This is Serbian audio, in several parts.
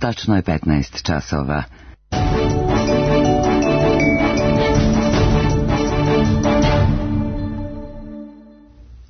Tačno je 15 časova.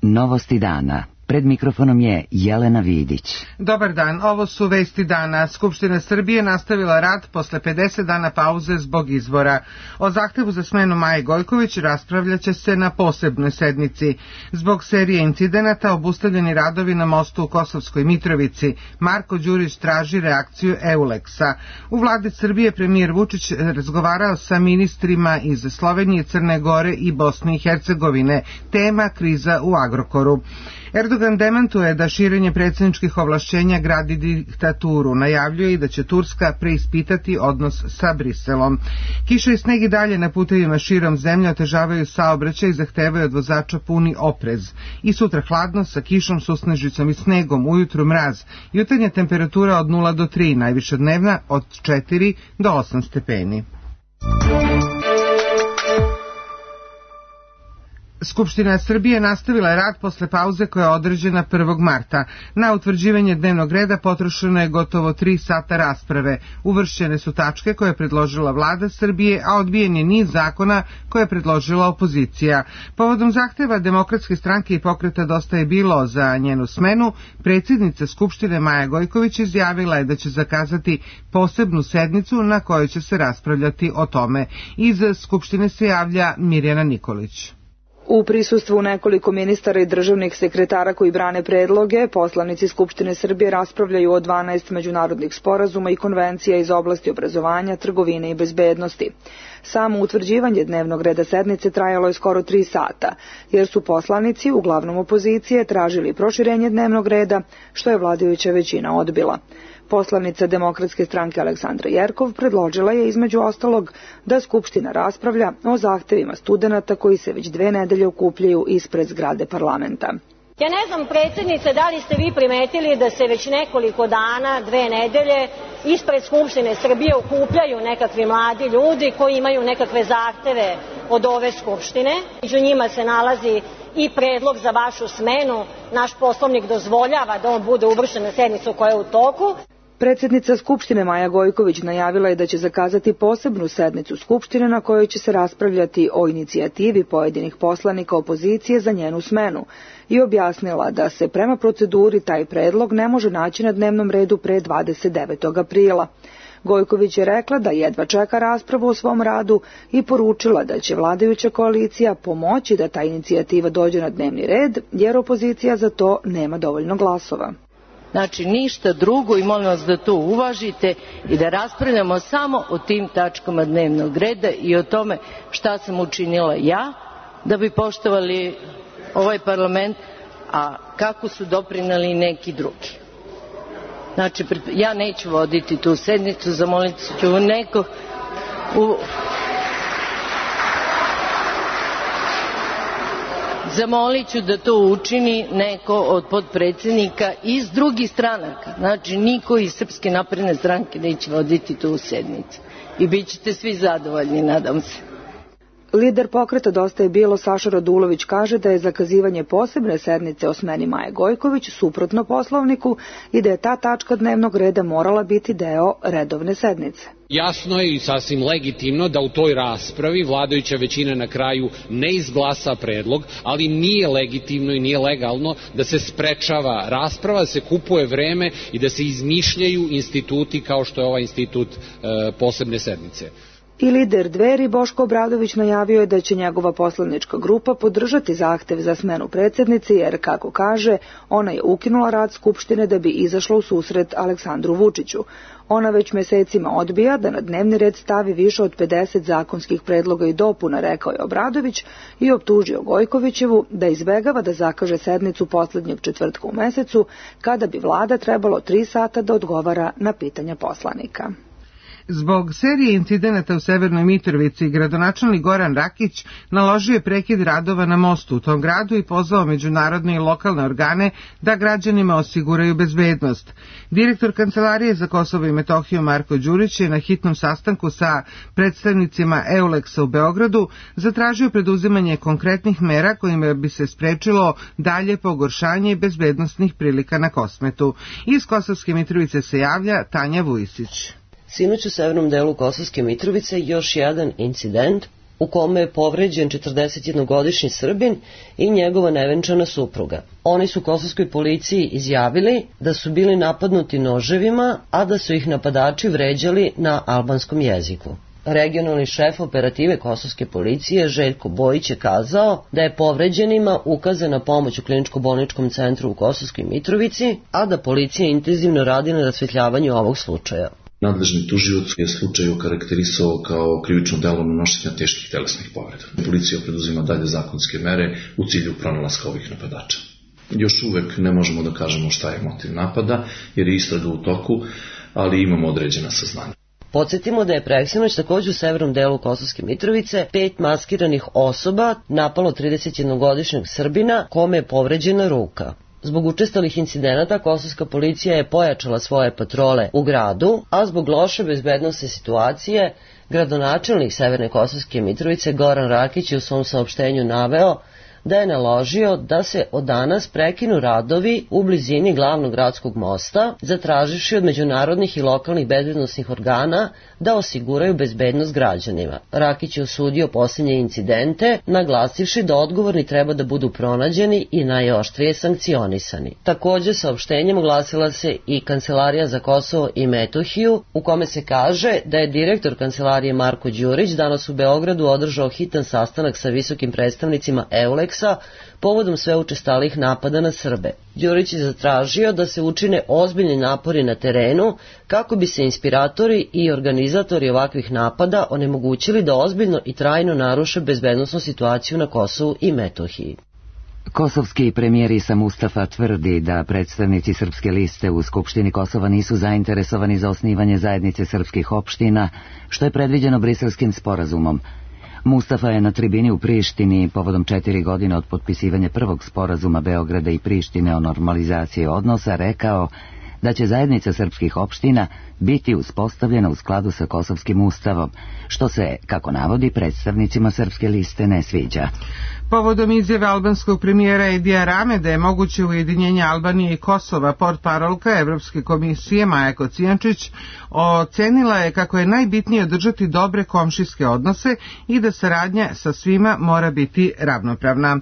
Novosti dana. Pred mikrofonom je Jelena Vidić. Dobar dan, ovo su vesti dana. Skupština Srbije nastavila rad posle 50 dana pauze zbog izbora. O zahtevu za smenu Maje Gojković raspravljaće se na posebnoj sednici. Zbog serije incidenata obustavljeni radovi na mostu u Kosovskoj Mitrovici. Marko Đurić traži reakciju EULEX-a. U vladi Srbije premijer Vučić razgovarao sa ministrima iz Slovenije, Crne Gore i Bosne i Hercegovine. Tema kriza u Agrokoru. Erdogan demantuje da širenje predsjedničkih ovlašćenja gradi diktaturu. Najavljuje i da će Turska preispitati odnos sa Briselom. Kiša i sneg i dalje na putevima širom zemlje otežavaju saobraćaj i zahtevaju od vozača puni oprez. I sutra hladno sa kišom, susnežicom i snegom, ujutru mraz. Jutarnja temperatura od 0 do 3, najviša dnevna od 4 do 8 stepeni. Skupština Srbije nastavila je rad posle pauze koja je određena 1. marta. Na utvrđivanje dnevnog reda potrošeno je gotovo 3 sata rasprave. Uvršćene su tačke koje je predložila vlada Srbije, a odbijen je niz zakona koje je predložila opozicija. Povodom zahteva Demokratske stranke i Pokreta Dosta je bilo za njenu smenu, predsjednica Skupštine Maja Gojković izjavila je da će zakazati posebnu sednicu na kojoj će se raspravljati o tome. Iz Skupštine se javlja Mirjana Nikolić. U prisustvu nekoliko ministara i državnih sekretara koji brane predloge, poslanici Skupštine Srbije raspravljaju o 12 međunarodnih sporazuma i konvencija iz oblasti obrazovanja, trgovine i bezbednosti. Samo utvrđivanje dnevnog reda sednice trajalo je skoro 3 sata, jer su poslanici, uglavnom opozicije, tražili proširenje dnevnog reda, što je vladajuća većina odbila. Poslanica Demokratske stranke Aleksandra Jerkov predložila je između ostalog da Skupština raspravlja o zahtevima studenata koji se već 2 nedelje okupljaju ispred zgrade parlamenta. Ja ne znam, predsjednice, da li ste vi primetili da se već nekoliko dana, 2 nedelje, ispred Skupštine Srbije okupljaju nekakvi mladi ljudi koji imaju nekakve zahteve od ove Skupštine. Među njima se nalazi i predlog za vašu smenu. Naš poslovnik dozvoljava da on bude uvršten na sednicu koja je u toku. Predsjednica Skupštine Maja Gojković najavila je da će zakazati posebnu sednicu Skupštine na kojoj će se raspravljati o inicijativi pojedinih poslanika opozicije za njenu smenu i objasnila da se prema proceduri taj predlog ne može naći na dnevnom redu pre 29. aprila. Gojković je rekla da jedva čeka raspravu o svom radu i poručila da će vladajuća koalicija pomoći da ta inicijativa dođe na dnevni red, jer opozicija za to nema dovoljno glasova. Znači ništa drugo i molim vas da to uvažite i da raspravljamo samo o tim tačkama dnevnog reda i o tome šta sam učinila ja da bi poštovali ovaj parlament, a kako su doprineli neki drugi. Znači, ja neću voditi tu sednicu, zamolit ću nekog zamolit ću da to učini neko od potpredsjednika iz drugih stranaka. Znači, niko iz Srpske napredne stranke neće voditi tu sednicu. I bit ćete svi zadovoljni, nadam se. Lider Pokreta Dosta je bilo Saša Radulović kaže da je zakazivanje posebne sednice o smeni Maje Gojković suprotno Poslovniku i da je ta tačka dnevnog reda morala biti deo redovne sednice. Jasno je i sasvim legitimno da u toj raspravi vladajuća većina na kraju ne izglasa predlog, ali nije legitimno i nije legalno da se sprečava rasprava, da se kupuje vreme i da se izmišljaju instituti kao što je ovaj institut posebne sednice. I lider Dveri Boško Obradović najavio je da će njegova poslanička grupa podržati zahtev za smenu predsjednice jer, kako kaže, ona je ukinula rad Skupštine da bi izašla u susret Aleksandru Vučiću. Ona već mesecima odbija da na dnevni red stavi više od 50 zakonskih predloga i dopuna, rekao je Obradović i optužio Gojkovićevu da izbegava da zakaže sednicu poslednjeg četvrtka u mesecu, kada bi vlada trebalo 3 sata da odgovara na pitanja poslanika. Zbog serije incidenata u Severnoj Mitrovici, gradonačelnik Goran Rakić naložio je prekid radova na mostu u tom gradu i pozvao međunarodne i lokalne organe da građanima osiguraju bezbednost. Direktor Kancelarije za Kosovo i Metohiju Marko Đurić je na hitnom sastanku sa predstavnicima EULEX-a u Beogradu zatražio preduzimanje konkretnih mera kojima bi se sprečilo dalje pogoršanje bezbednosnih prilika na Kosmetu. Iz Kosovske Mitrovice se javlja Tanja Vujisić. Sinoć u severnom delu Kosovske Mitrovice još jedan incident u kome je povređen 41-godišnji Srbin i njegova nevenčana supruga. Oni su kosovskoj policiji izjavili da su bili napadnuti noževima, a da su ih napadači vređali na albanskom jeziku. Regionalni šef operative kosovske policije Željko Bojić je kazao da je povređenima ukazana pomoć u kliničko-bolničkom centru u Kosovskoj Mitrovici, a da policija intenzivno radi na rasvetljavanju ovog slučaja. Nadležni tužilac je slučaj okarakterisao kao krivično delo nanošenja teških telesnih povreda. Policija preduzima dalje zakonske mere u cilju pronalaska ovih napadača. Još uvek ne možemo da kažemo šta je motiv napada, jer je istraga u toku, ali imamo određena saznanja. Podsjetimo da je preksinoć takođe u severnom delu Kosovske Mitrovice 5 maskiranih osoba napalo 31-godišnjeg Srbina kome je povređena ruka. Zbog učestalih incidenata kosovska policija je pojačala svoje patrole u gradu, a zbog loše bezbednosne situacije gradonačelnik Severne Kosovske Mitrovice Goran Rakić je u svom saopštenju naveo da je naložio da se od danas prekinu radovi u blizini glavnog gradskog mosta, zatraživši od međunarodnih i lokalnih bezbednosnih organa da osiguraju bezbednost građanima. Rakić je osudio posljednje incidente, naglasivši da odgovorni treba da budu pronađeni i najoštrije sankcionisani. Takođe, saopštenjem oglasila se i Kancelarija za Kosovo i Metohiju, u kome se kaže da je direktor Kancelarije Marko Đurić danas u Beogradu održao hitan sastanak sa visokim predstavnicima EULEX povodom sve učestalih napada na Srbe. Đurić je zatražio da se učine ozbiljni napori na terenu kako bi se inspiratori i organizatori ovakvih napada onemogućili da ozbiljno i trajno naruše bezbednosnu situaciju na Kosovu i Metohiji. Kosovski premijer Isa Mustafa tvrdi da predstavnici Srpske liste u Skupštini Kosova nisu zainteresovani za osnivanje zajednice srpskih opština, što je predviđeno Briselskim sporazumom. Mustafa je na tribini u Prištini povodom 4 godine od potpisivanja prvog sporazuma Beograda i Prištine o normalizaciji odnosa rekao da će zajednica srpskih opština biti uspostavljena u skladu sa Kosovskim ustavom, što se, kako navodi, predstavnicima Srpske liste ne sviđa. Povodom izjave albanskog premijera Edija Rame da je moguće ujedinjenje Albanije i Kosova, portparolka Evropske komisije Maja Kocijančić ocenila je kako je najbitnije održati dobre komšijske odnose i da saradnja sa svima mora biti ravnopravna.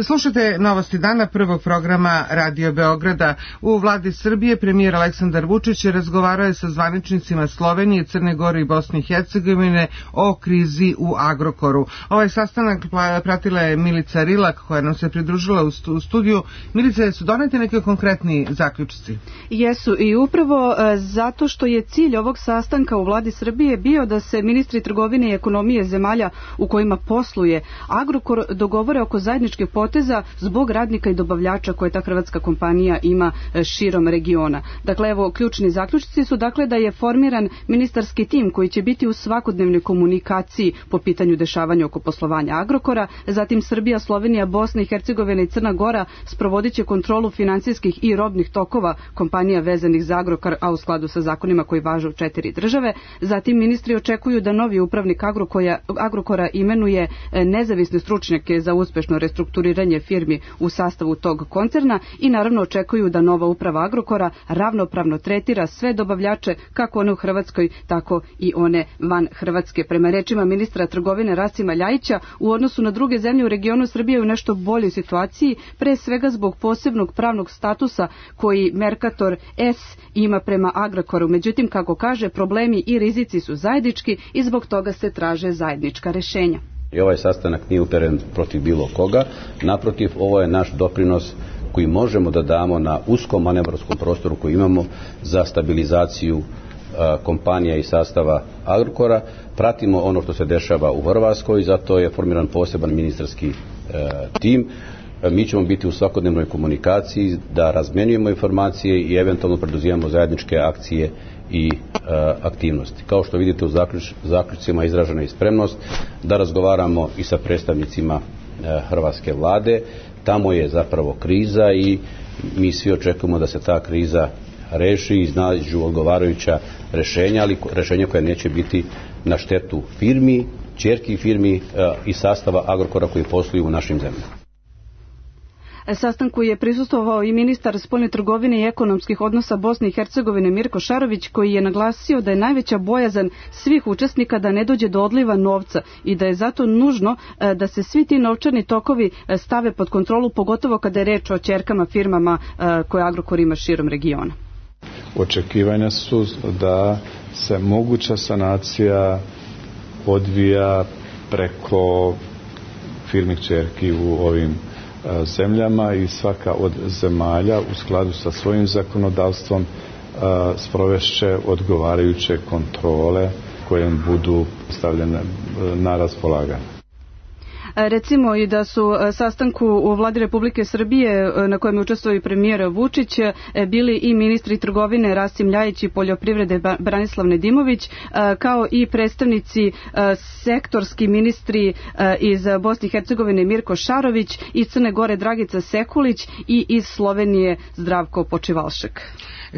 Slušate Novosti dana prvog programa Radio Beograda. U vladi Srbije premijer Aleksandar Vučić razgovarao je sa zvaničnicima Slovenije, Crne Gore i Bosne i Hercegovine o krizi u Agrokoru. Ovaj sastanak pratila je Milica Rilak koja nam se pridružila u studiju. Milica, su doneti neke konkretni zaključci? Jesu, i upravo zato što je cilj ovog sastanka u vladi Srbije bio da se ministri trgovine i ekonomije zemalja u kojima posluje Agrokor dogovore oko zajedničkih poteza zbog radnika i dobavljača koje ta hrvatska kompanija ima širom regiona. Dakle, evo, ključni zaključci su dakle da je formiran ministarski tim koji će biti u svakodnevnoj komunikaciji po pitanju dešavanja oko poslovanja Agrokora, zatim Srbija, Slovenija, Bosna i Hercegovina i Crna Gora sprovodit će kontrolu finansijskih i robnih tokova kompanija vezanih za Agrokor, a u skladu sa zakonima koji važe u 4 države. Zatim ministri očekuju da novi upravnik Agrokora imenuje nezavisne stručnjake za uspešno restrukturiranje firmi u sastavu tog koncerna i naravno očekuju da nova uprava Agrokora ravnopravno tretira sve dobavljače, kako one u Hrvatskoj, tako i one van Hrvatske. Prema rečima ministra trgovine Rasima Ljajića, u odnosu na druge zemlje u regionu Srbije u nešto boljoj situaciji, pre svega zbog posebnog pravnog statusa koji Mercator S ima prema Agrokoru. Međutim, kako kaže, problemi i rizici su zajednički i zbog toga se traže zajednička rešenja. I ovaj sastanak nije uperen protiv bilo koga, naprotiv, ovo je naš doprinos koji možemo da damo na uskom manevarskom prostoru koji imamo za stabilizaciju kompanija i sastava Agrokora. Pratimo ono što se dešava u Hrvatskoj, zato je formiran poseban ministarski tim mi ćemo biti u svakodnevnoj komunikaciji da razmenjujemo informacije i eventualno preduzimamo zajedničke akcije i aktivnosti. Kao što vidite u zaključcima izražena je spremnost da razgovaramo i sa predstavnicima hrvatske vlade. Tamo je zapravo kriza i mi svi očekujemo da se ta kriza reši i iznađu odgovarajuća rješenja, ali rješenja koja neće biti na štetu firmi, ćerki firmi i sastava Agrokora koji posluju u našim zemljama. Sastanku je prisustvovao i ministar spoljne trgovine i ekonomskih odnosa Bosne i Hercegovine Mirko Šarović, koji je naglasio da je najveća bojazan svih učesnika da ne dođe do odliva novca i da je zato nužno da se svi ti novčani tokovi stave pod kontrolu, pogotovo kada je reč o ćerkama firmama koje Agrokor ima širom regiona. Očekivanja su da se moguća sanacija odvija preko firmi kćerki u ovim zemljama i svaka od zemalja u skladu sa svojim zakonodavstvom sprovešće odgovarajuće kontrole koje im budu stavljene na raspolaganje. Recimo i da su sastanku u Vladi Republike Srbije na kojem je učestvovao i premijer Vučić bili i ministri trgovine Rasim Ljajić i poljoprivrede Branislav Nedimović, kao i predstavnici sektorski ministri iz Bosne i Hercegovine Mirko Šarović, iz Crne Gore Dragica Sekulić i iz Slovenije Zdravko Počivalšek.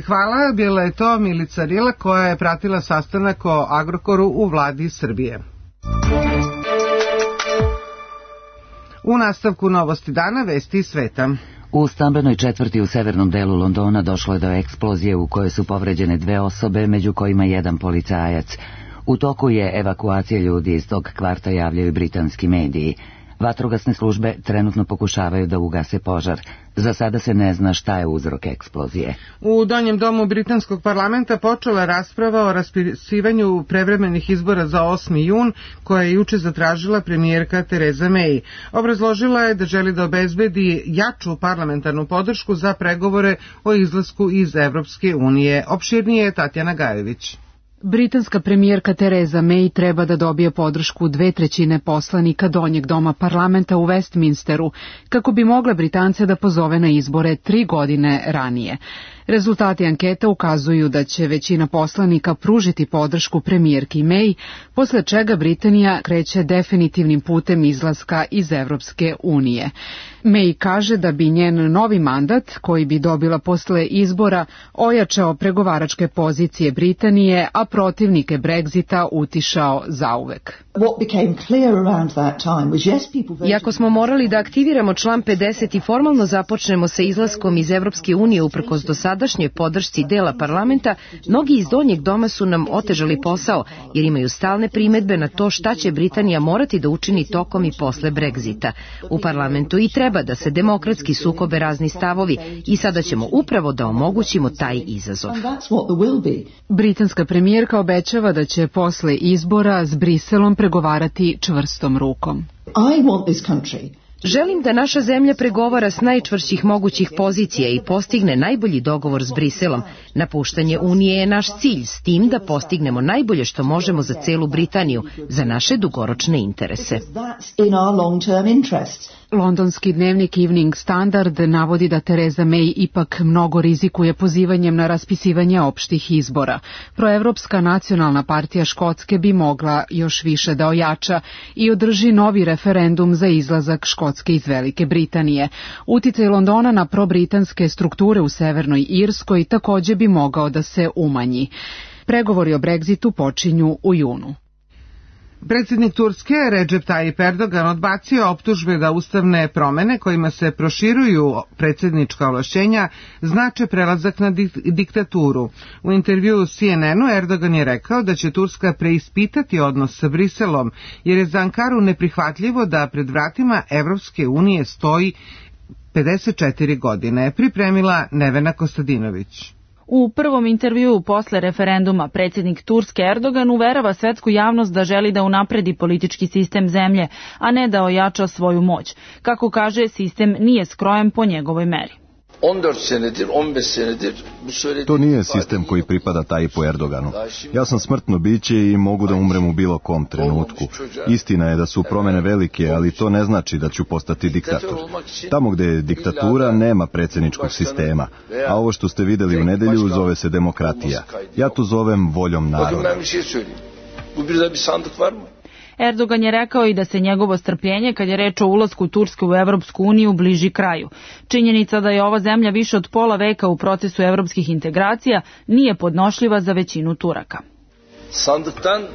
Hvala, bila je to Milica Rila koja je pratila sastanak o Agrokoru u Vladi Srbije. U nastavku novosti dana, vesti iz sveta. U stambenoj četvrti u severnom delu Londona došlo je do eksplozije u kojoj su povređene 2 osobe, među kojima 1 policajac. U toku je evakuacija ljudi iz tog kvarta, javljaju britanski mediji. Vatrogasne službe trenutno pokušavaju da ugase požar. Za sada se ne zna šta je uzrok eksplozije. U Donjem domu britanskog parlamenta počela rasprava o raspisivanju prevremenih izbora za 8. jun, koja je juče zatražila premijerka Tereza May. Obrazložila je da želi da obezbedi jaču parlamentarnu podršku za pregovore o izlasku iz Evropske unije. Opširnije je Tatjana Gajević. Britanska premijerka Tereza May treba da dobije podršku 2/3 poslanika Donjeg doma parlamenta u Westminsteru, kako bi mogla Britance da pozove na izbore 3 godine ranije. Rezultati anketa ukazuju da će većina poslanika pružiti podršku premijerki May, posle čega Britanija kreće definitivnim putem izlaska iz Evropske unije. May kaže da bi njen novi mandat, koji bi dobila posle izbora, ojačao pregovaračke pozicije Britanije, a protivnike Brexita utišao zauvek. Iako smo morali da aktiviramo član 50 i formalno započnemo sa izlaskom iz Evropske unije uprkos dosadašnjoj podršci dela parlamenta, mnogi iz Donjeg doma su nam otežali posao, jer imaju stalne primedbe na to šta će Britanija morati da učini tokom i posle Brexita. U parlamentu i treba da se demokratski sukobe razni stavovi i sada ćemo upravo da omogućimo taj izazov. Britanska premijerka obećava da će posle izbora s Briselom pregovarati čvrstom rukom. Želim da naša zemlja pregovara s najčvršćih mogućih pozicija i postigne najbolji dogovor s Briselom. Napuštanje Unije je naš cilj, s tim da postignemo najbolje što možemo za celu Britaniju, za naše dugoročne interese. Londonski dnevnik Evening Standard navodi da Tereza May ipak mnogo rizikuje pozivanjem na raspisivanje opštih izbora. Proevropska nacionalna partija Škotske bi mogla još više da ojača i održi novi referendum za izlazak Škotske iz Velike Britanije. Uticaj Londona na probritanske strukture u Severnoj Irskoj takođe bi mogao da se umanji. Pregovori o Brexitu počinju u junu. Predsjednik Turske Recep Tayyip Erdogan odbacio optužbe da ustavne promene kojima se proširuju predsjednička ovlašćenja znače prelazak na diktaturu. U intervjuu CNN-u Erdogan je rekao da će Turska preispitati odnos sa Briselom, jer je za Ankaru neprihvatljivo da pred vratima Evropske unije stoji 54 godine. Pripremila Nevena Kostadinović. U prvom intervjuu posle referenduma predsjednik Turske Erdogan uverava svetsku javnost da želi da unapredi politički sistem zemlje, a ne da ojača svoju moć. Kako kaže, sistem nije skrojen po njegovoj meri. To nije sistem koji pripada Tayyipu Erdoganu. Ja sam smrtno biće i mogu da umrem u bilo kom trenutku. Istina je da su promene velike, ali to ne znači da ću postati diktator. Tamo gde je diktatura nema predsjedničkog sistema, a ovo što ste videli u nedelju zove se demokratija. Ja to zovem voljom naroda. Erdogan je rekao i da se njegovo strpljenje kad je reč o ulasku Turske u Evropsku uniju bliži kraju. Činjenica da je ova zemlja više od pola veka u procesu evropskih integracija nije podnošljiva za većinu Turaka.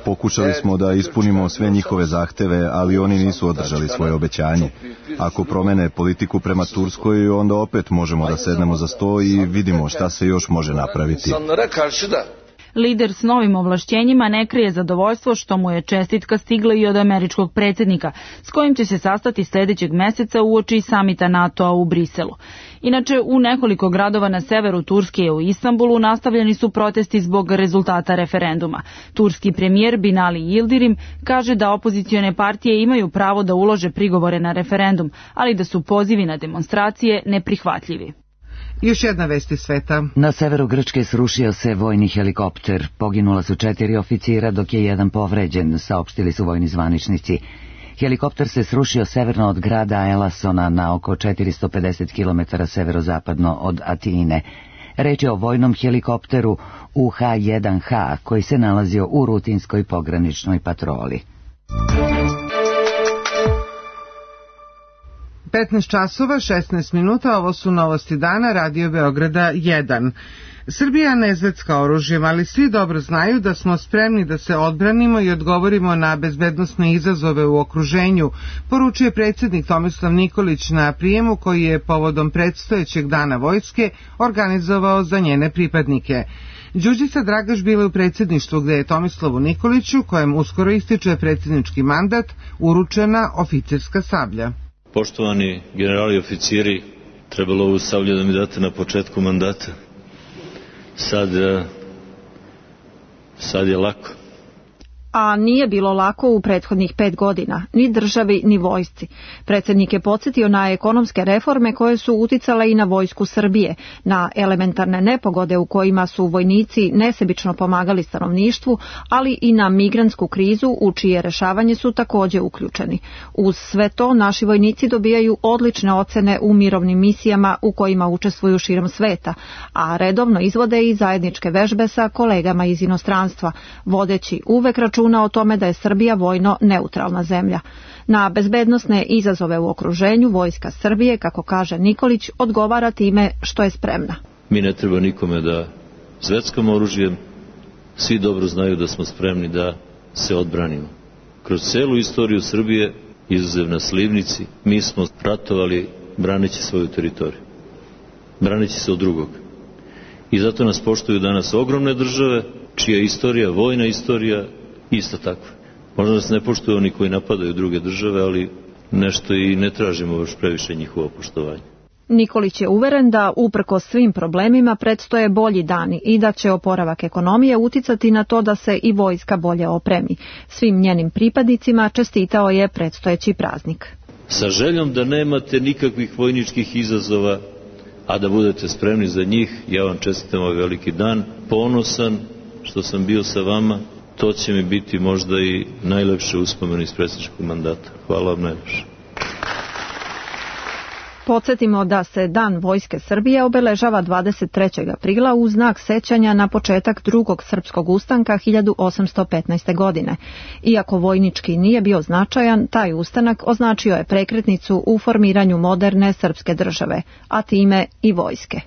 Pokušali smo da ispunimo sve njihove zahteve, ali oni nisu održali svoje obećanje. Ako promene politiku prema Turskoj, onda opet možemo da sednemo za sto i vidimo šta se još može napraviti. Lider s novim ovlašćenjima ne krije zadovoljstvo što mu je čestitka stigla i od američkog predsjednika, s kojim će se sastati sljedećeg meseca uoči samita NATO-a u Briselu. Inače, u nekoliko gradova na severu Turske i u Istanbulu nastavljeni su protesti zbog rezultata referenduma. Turski premijer Binali Yildirim kaže da opozicione partije imaju pravo da ulože prigovore na referendum, ali da su pozivi na demonstracije neprihvatljivi. Još jedna vest iz sveta. Na severu Grčke srušio se vojni helikopter. Poginula su 4 oficira dok je jedan povređen, saopštili su vojni zvaničnici. Helikopter se srušio severno od grada Elasona na oko 450 km severozapadno od Atine. Reč je o vojnom helikopteru UH-1H koji se nalazio u rutinskoj pograničnoj patroli. 15 časova, 16 minuta, ovo su novosti dana, Radio Beograda 1. Srbija ne zvecka oružjem, ali svi dobro znaju da smo spremni da se odbranimo i odgovorimo na bezbednosne izazove u okruženju, poručuje predsjednik Tomislav Nikolić na prijemu koji je povodom predstojećeg dana vojske organizovao za njene pripadnike. Đurđica Dragaš bila u predsjedništvu gde je Tomislavu Nikoliću, kojem uskoro ističe predsjednički mandat, uručena oficirska sablja. Poštovani generali i oficiri, trebalo ovu sablju da mi date na početku mandata. Sad je lako. A nije bilo lako u prethodnih 5 godina, ni državi, ni vojsci. Predsjednik je podsjetio na ekonomske reforme koje su uticale i na vojsku Srbije, na elementarne nepogode u kojima su vojnici nesebično pomagali stanovništvu, ali i na migrantsku krizu u čije rešavanje su također uključeni. Uz sve to, naši vojnici dobijaju odlične ocene u mirovnim misijama u kojima učestvuju širom sveta, a redovno izvode i zajedničke vežbe sa kolegama iz inostranstva, vodeći uvek računa o tome da je Srbija vojno neutralna zemlja. Na bezbednosne izazove u okruženju vojska Srbije, kako kaže Nikolić, odgovara time što je spremna. Mi ne treba nikome da zveckamo oružjem, svi dobro znaju da smo spremni da se odbranimo. Kroz celu istoriju Srbije, izuzev na Slivnici, mi smo ratovali braneći svoju teritoriju, braneći se od drugog. I zato nas poštuju danas ogromne države, čija je istorija, vojna istorija, isto tako. Možda nas ne poštuju oni koji napadaju druge države, ali nešto i ne tražimo još previše njihovo poštovanje. Nikolić je uveren da uprkos svim problemima predstoje bolji dani i da će oporavak ekonomije uticati na to da se i vojska bolje opremi. Svim njenim pripadnicima čestitao je predstojeći praznik. Sa željom da nemate nikakvih vojničkih izazova, a da budete spremni za njih, ja vam čestitam ovaj veliki dan, ponosan što sam bio sa vama. To će mi biti možda i najlepše uspomene iz predsjedničkog mandata. Hvala vam najlepše. Podsjetimo da se Dan Vojske Srbije obeležava 23. aprila u znak sećanja na početak drugog srpskog ustanka 1815. godine. Iako vojnički nije bio značajan, taj ustanak označio je prekretnicu u formiranju moderne srpske države, a time i vojske.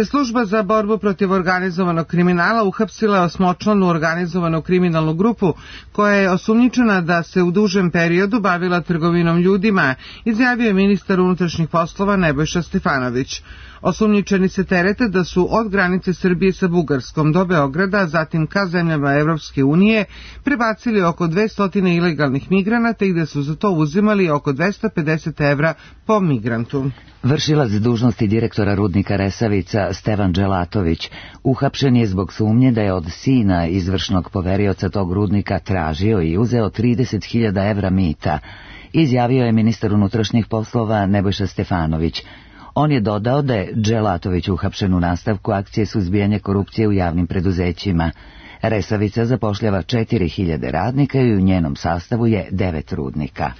Služba za borbu protiv organizovanog kriminala uhapsila je 8-članu organizovanu kriminalnu grupu koja je osumnjičena da se u dužem periodu bavila trgovinom ljudima, izjavio je ministar unutrašnjih poslova Nebojša Stefanović. Osumnjičeni se terete da su od granice Srbije sa Bugarskom do Beograda, zatim ka zemljama Evropske unije, prebacili oko 200 ilegalnih migranata i da su za to uzimali oko 250 evra po migrantu. Vršilac dužnosti direktora rudnika Resavica Stevan Dželatović uhapšen je zbog sumnje da je od sina izvršnog poverioca tog rudnika tražio i uzeo 30.000 evra mita, izjavio je ministar unutrašnjih poslova Nebojša Stefanović. On je dodao da je Dželatović uhapšen u nastavku akcije suzbijanja korupcije u javnim preduzećima. Resavica zapošljava 4000 radnika i u njenom sastavu je 9 rudnika.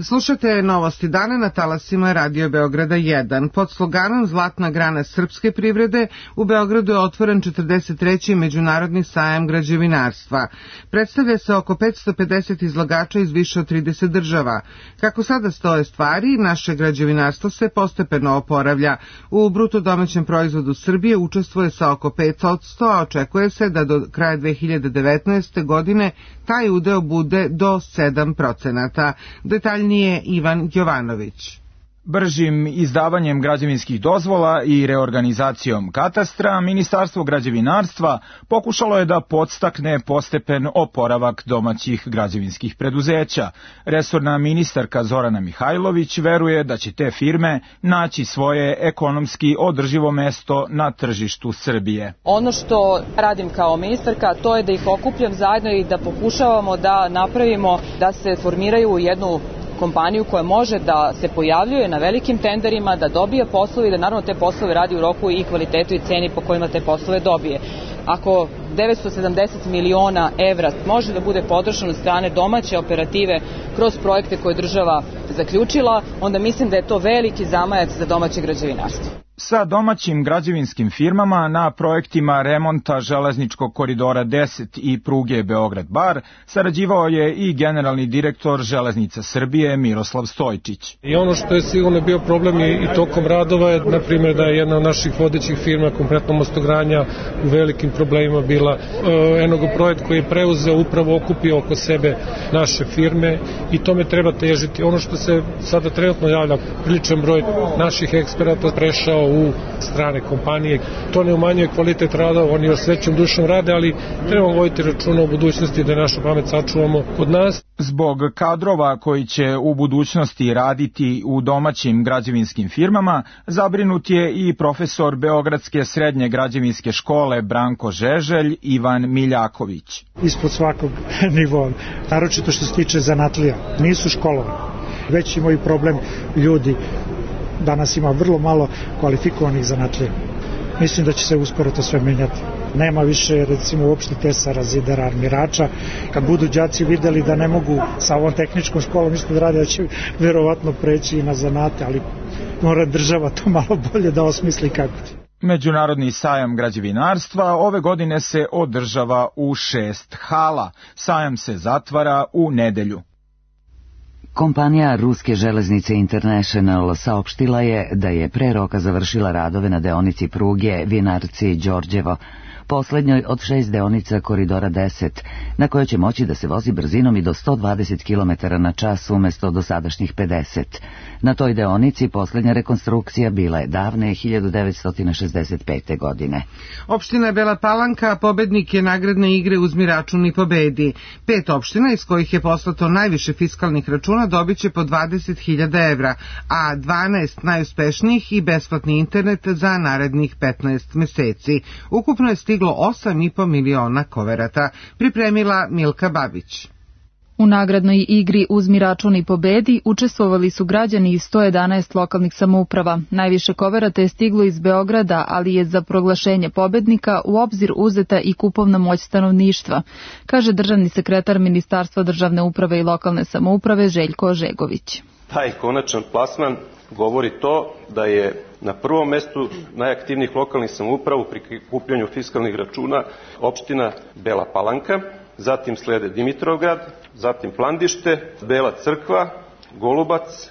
Slušate novosti dana na talasima Radio Beograda 1. Pod sloganom Zlatna grana srpske privrede u Beogradu je otvoren 43. međunarodni sajam građevinarstva. Predstavlja se oko 550 izlagača iz više od 30 država. Kako sada stoje stvari, naše građevinarstvo se postepeno oporavlja. U bruto domaćem proizvodu Srbije učestvuje sa oko 5%, a očekuje se da do kraja 2019. godine taj udeo bude do 7%. Detaljnije Ivan Jovanović. Bržim izdavanjem građevinskih dozvola i reorganizacijom katastra, Ministarstvo građevinarstva pokušalo je da podstakne postepen oporavak domaćih građevinskih preduzeća. Resorna ministarka Zorana Mihajlović veruje da će te firme naći svoje ekonomski održivo mesto na tržištu Srbije. Ono što radim kao ministarka, to je da ih okupljam zajedno i da pokušavamo da napravimo da se formiraju jednu kompaniju koja može da se pojavljuje na velikim tenderima, da dobije poslove i da naravno te poslove radi u roku i kvalitetu i ceni po kojima te poslove dobije. Ako 970 miliona evra može da bude podržano od strane domaće operative kroz projekte koje država zaključila, onda mislim da je to veliki zamajac za domaće građevinarstvo. Sa domaćim građevinskim firmama na projektima remonta železničkog koridora 10 i pruge Beograd-Bar sarađivao je i generalni direktor Železnica Srbije Miroslav Stojčić. I ono što je sigurno bio problem i tokom radova je, na primjer, da je jedna od naših vodećih firma, konkretno Mostogradnja, u velikim problemima bila. Enogo projekt koji je preuzeo upravo okupio oko sebe naše firme i tome treba težiti. Ono što se sada trenutno javlja, priličan broj naših eksperata prešao u strane kompanije. To ne umanjuje kvalitet rada, oni još većom dušom rade, ali trebamo voditi računa u budućnosti da našu pamet sačuvamo kod nas. Zbog kadrova koji će u budućnosti raditi u domaćim građevinskim firmama, zabrinut je i profesor Beogradske srednje građevinske škole Branko Žeželj Ivan Miljaković. Ispod svakog nivoa, naročito što se tiče zanatlija, nisu školovani. Već imaju problem ljudi. Danas ima vrlo malo kvalifikovanih zanatlija. Mislim da će se uskoro to sve menjati. Nema više, recimo, uopšte tesara, zidara, armirača. Kad budu đaci videli da ne mogu sa ovom tehničkom školom isto da rade, da će verovatno preći i na zanate, ali mora država to malo bolje da osmisli kako će. Međunarodni sajam građevinarstva ove godine se održava u 6 hala. Sajam se zatvara u nedelju. Kompanija Ruske železnice International saopštila je da je pre roka završila radove na deonici pruge Vinarci-Đorđevo, poslednjoj od 6 deonica koridora 10, na kojoj će moći da se vozi brzinom i do 120 km na čas umesto dosadašnjih 50. Na toj deonici poslednja rekonstrukcija bila je davne 1965. godine. Opština Bela Palanka pobednik je nagradne igre Uzmi račun i pobedi. 5 opština iz kojih je poslato najviše fiskalnih računa dobit će po 20.000 evra, a 12 najuspešnijih i besplatni internet za narednih 15 meseci. Ukupno je stiglo 8,5 miliona koverata, pripremila Milka Babić. U nagradnoj igri Uzmi račun i pobedi učestvovali su građani iz 111 lokalnih samouprava. Najviše koverata je stiglo iz Beograda, ali je za proglašenje pobednika u obzir uzeta i kupovna moć stanovništva, kaže državni sekretar Ministarstva državne uprave i lokalne samouprave Željko Ožegović. Taj konačan plasman govori to da je na prvom mestu najaktivnijih lokalnih samouprava u prikupljanju fiskalnih računa opština Bela Palanka, zatim slede Dimitrovgrad, zatim Plandište, Bela Crkva, Golubac.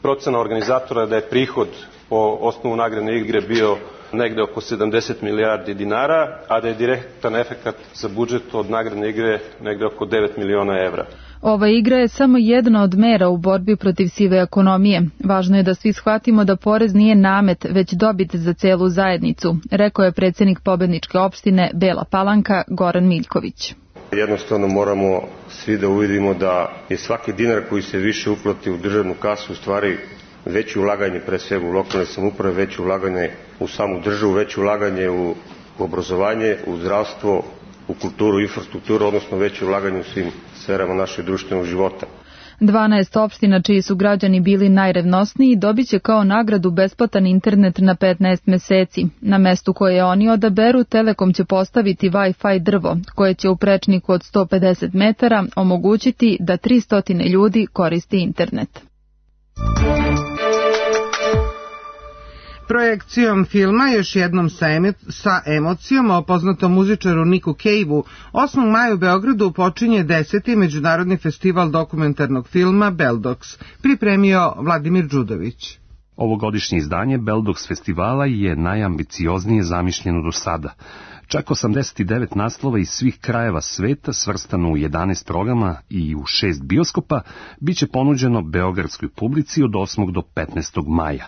Procena organizatora je da je prihod po osnovu nagradne igre bio negde oko 70 milijardi dinara, a da je direktan efekat za budžet od nagradne igre negde oko 9 miliona evra. Ova igra je samo jedna od mera u borbi protiv sive ekonomije. Važno je da svi shvatimo da porez nije namet, već dobit za celu zajednicu, rekao je predsjednik pobedničke opštine Bela Palanka Goran Miljković. Jednostavno moramo svi da uvidimo da je svaki dinar koji se više uplati u državnu kasu u stvari veće ulaganje pre svega u lokalne samouprave, veće ulaganje u samu državu, veće ulaganje u obrazovanje, u zdravstvo, u kulturu, infrastrukturu, odnosno veće ulaganje u svim sferama našeg društvenog života. 12 opština čiji su građani bili najrevnosniji dobit će kao nagradu besplatan internet na 15 meseci. Na mestu koje oni odaberu, Telekom će postaviti Wi-Fi drvo, koje će u prečniku od 150 metara omogućiti da 300 ljudi koristi internet. Projekcijom filma još jednom sa emocijom o poznatom muzičaru Niku Cave-u 8. maja u Beogradu počinje 10. Međunarodni festival dokumentarnog filma Beldox, pripremio Vladimir Đudović. Ovogodišnje izdanje Beldox festivala je najambicioznije zamišljeno do sada. Čak 89 naslova iz svih krajeva sveta, svrstano u 11 programa i u 6 bioskopa, bit će ponuđeno beogradskoj publici od 8. do 15. maja.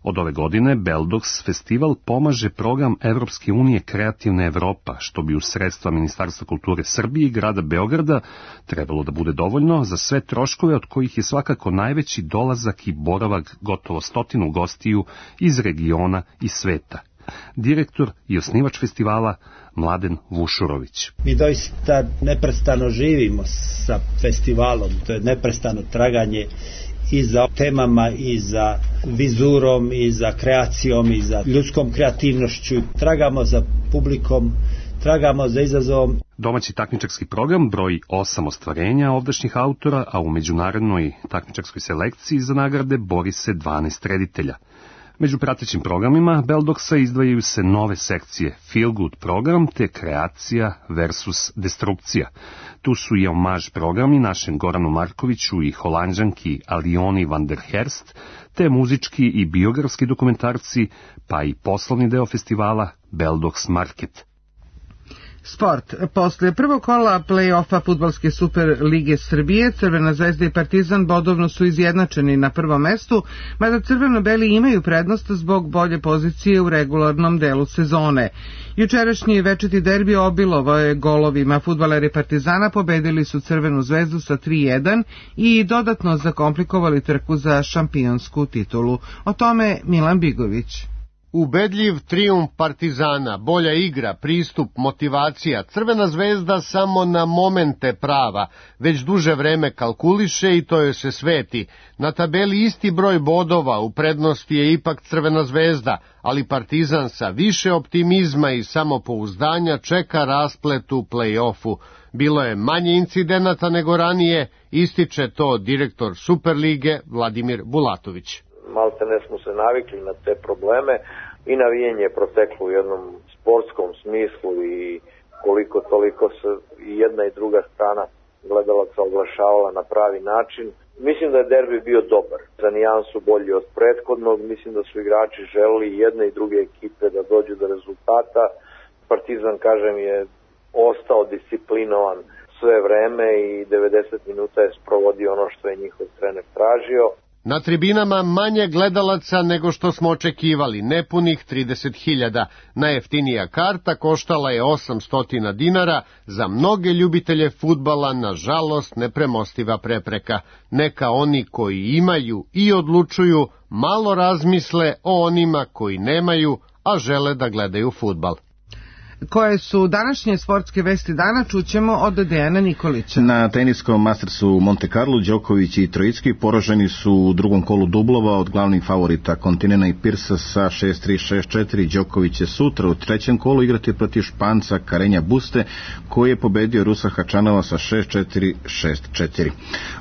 Od ove godine Beldox festival pomaže program Evropske unije Kreativna Evropa, što bi uz sredstva Ministarstva kulture Srbije i grada Beograda trebalo da bude dovoljno za sve troškove, od kojih je svakako najveći dolazak i boravak gotovo 100 gostiju iz regiona i sveta. Direktor i osnivač festivala Mladen Vušurović. Mi doista neprestano živimo sa festivalom, to je neprestano traganje i za temama, i za vizurom, i za kreacijom, i za ljudskom kreativnošću. Tragamo za publikom, tragamo za izazovom. Domaći takmičarski program broji 8 ostvarenja ovdašnjih autora, a u međunarodnoj takmičarskoj selekciji za nagrade bori se 12 reditelja. Među pratećim programima Beldoxa izdvajaju se nove sekcije Feel Good program te Kreacija versus Destrukcija. Tu su i omaž programi našem Goranu Markoviću i Holanđanki Alioni van der Herst, te muzički i biografski dokumentarci, pa i poslovni deo festivala Beldox Market. Sport. Posle prvog kola play-offa Fudbalske Super lige Srbije, Crvena zvezda i Partizan bodovno su izjednačeni na prvom mestu, mada crveno-beli imaju prednost zbog bolje pozicije u regularnom delu sezone. Jučerašnji večiti derbi obilovao je golovima. Fudbaleri Partizana pobedili su Crvenu zvezdu sa 3:1 i dodatno zakomplikovali trku za šampionsku titulu. O tome Milan Bigović. Ubedljiv trijumf Partizana, bolja igra, pristup, motivacija. Crvena zvezda samo na momente prava, već duže vreme kalkuliše i to joj se sveti. Na tabeli isti broj bodova, u prednosti je ipak Crvena zvezda, ali Partizan sa više optimizma i samopouzdanja čeka rasplet u play-offu. Bilo je manje incidenata nego ranije, ističe to direktor Superlige Vladimir Bulatović. Malte ne smo se navikli na te probleme i navijenje je proteklo u jednom sportskom smislu i koliko toliko se i jedna i druga strana gledalaca oglašavala na pravi način. Mislim da je derbi bio dobar, za nijansu bolji od prethodnog, mislim da su igrači želeli jedne i druge ekipe da dođu do rezultata. Partizan, kažem, je ostao disciplinovan sve vreme i 90 minuta je sprovodio ono što je njihov trener tražio. Na tribinama manje gledalaca nego što smo očekivali, nepunih 30.000. Najjeftinija karta koštala je 800 dinara, za mnoge ljubitelje fudbala, nažalost, nepremostiva prepreka. Neka oni koji imaju i odlučuju malo razmisle o onima koji nemaju, a žele da gledaju fudbal. Koje su današnje sportske vesti dana, čućemo od Dejana Nikolića. Na teniskom Mastersu u Monte Carlo, Đoković i Trojicki poraženi su u drugom kolu dublova od glavnih favorita Kontinena i Pirsa sa 6-3, 6-4. Đoković će sutra u trećem kolu igrati protiv Španca Karenja Buste, koji je pobedio Rusa Hačanova sa 6-4, 6-4.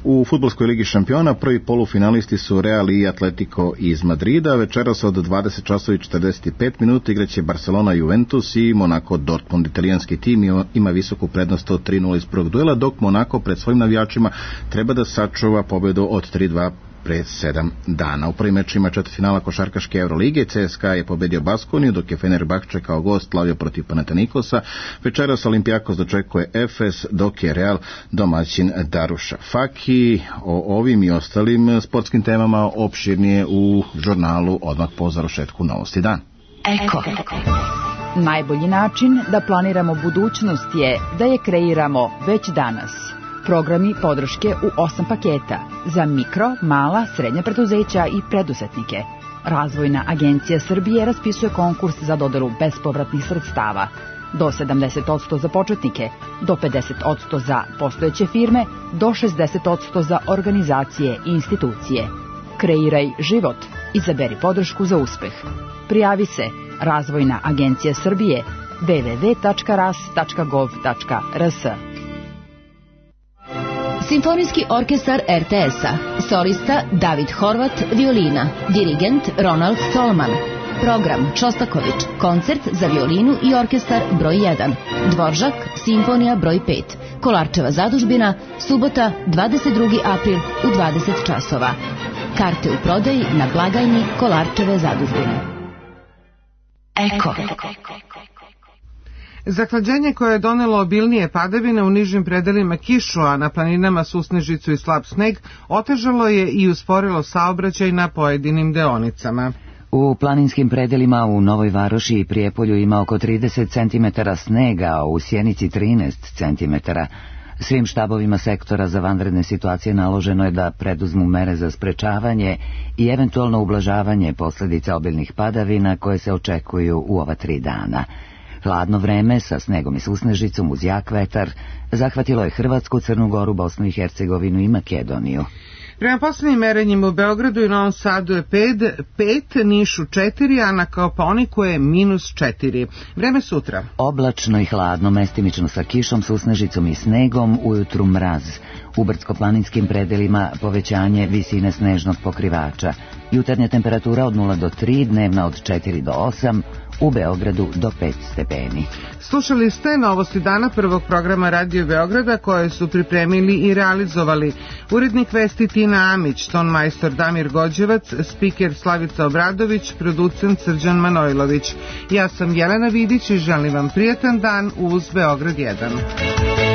U fudbalskoj ligi šampiona prvi polufinalisti su Real i Atletico iz Madrida. Večeras od 20:45 igraće Barcelona Juventus i Monaco Dortmund. Italijanski tim ima visoku prednost od 3:0 iz prvog duela, dok Monaco pred svojim navijačima treba da sačuva pobedu od 3:2 pre 7 dana. U prvim mečima četvrtfinala košarkaške Evrolige CSKA je pobedio Baskoniju, dok je Fenerbahče kao gost slavio protiv Panathinaikosa. Večeras Olimpijakos dočekuje Efes, dok je Real domaćin Daruša Faki. O ovim i ostalim sportskim temama opširnije u žurnalu odmah po završetku Novosti dan. Eko. Najbolji način da planiramo budućnost je da je kreiramo već danas. Programi podrške u 8 paketa za mikro, mala, srednja preduzeća i preduzetnike. Razvojna agencija Srbije raspisuje konkurs za dodelu bespovratnih sredstava. do 70% za početnike, do 50% za postojeće firme, do 60% za organizacije i institucije. Kreiraj život. Izaberi podršku za uspeh. Prijavi se Razvojna agencija Srbije www.ras.gov.rs. Simfonijski orkestar RTS-a. Solista David Horvat, violina. Dirigent Ronald Tolman. Program Šostaković, koncert za violinu i orkestar broj 1. Dvoržak, simfonija broj 5. Kolarčeva zadužbina, subota 22. april u 20 časova. Karte u prodaji na blagajni Kolarčeve zadužbine. Eko. Zahlađenje koje je donelo obilnije padavine u nižim predelima kišu, a na planinama susnežicu i slab sneg, otežalo je i usporilo saobraćaj na pojedinim deonicama. U planinskim predelima u Novoj Varoši i Prijepolju ima oko 30 cm snega, a u Sjenici 13 cm. Svim štabovima sektora za vanredne situacije naloženo je da preduzmu mere za sprečavanje i eventualno ublažavanje posljedica obilnih padavina koje se očekuju u ova 3 dana. Hladno vreme sa snegom i susnežicom uz jak vetar zahvatilo je Hrvatsku, Crnu Goru, Bosnu i Hercegovinu i Makedoniju. Prema poslednjim merenjima u Beogradu i Novom Sadu je 5, Nišu 4, a na Kopaoniku je -4. Vreme sutra. Oblačno i hladno, mestimično sa kišom, susnežicom i snegom, ujutru mraz. U brdsko-planinskim predelima povećanje visine snežnog pokrivača. Jutarnja temperatura od 0 do 3, dnevna od 4 do 8, u Beogradu do 5 stepeni. Slušali ste novosti dana prvog programa Radio Beograda koje su pripremili i realizovali urednik vesti Tina Amić, tonmajstor Damir Gođevac, spiker Slavica Obradović, producent Srđan Manojlović. Ja sam Jelena Vidić i želim vam prijatan dan uz Beograd 1.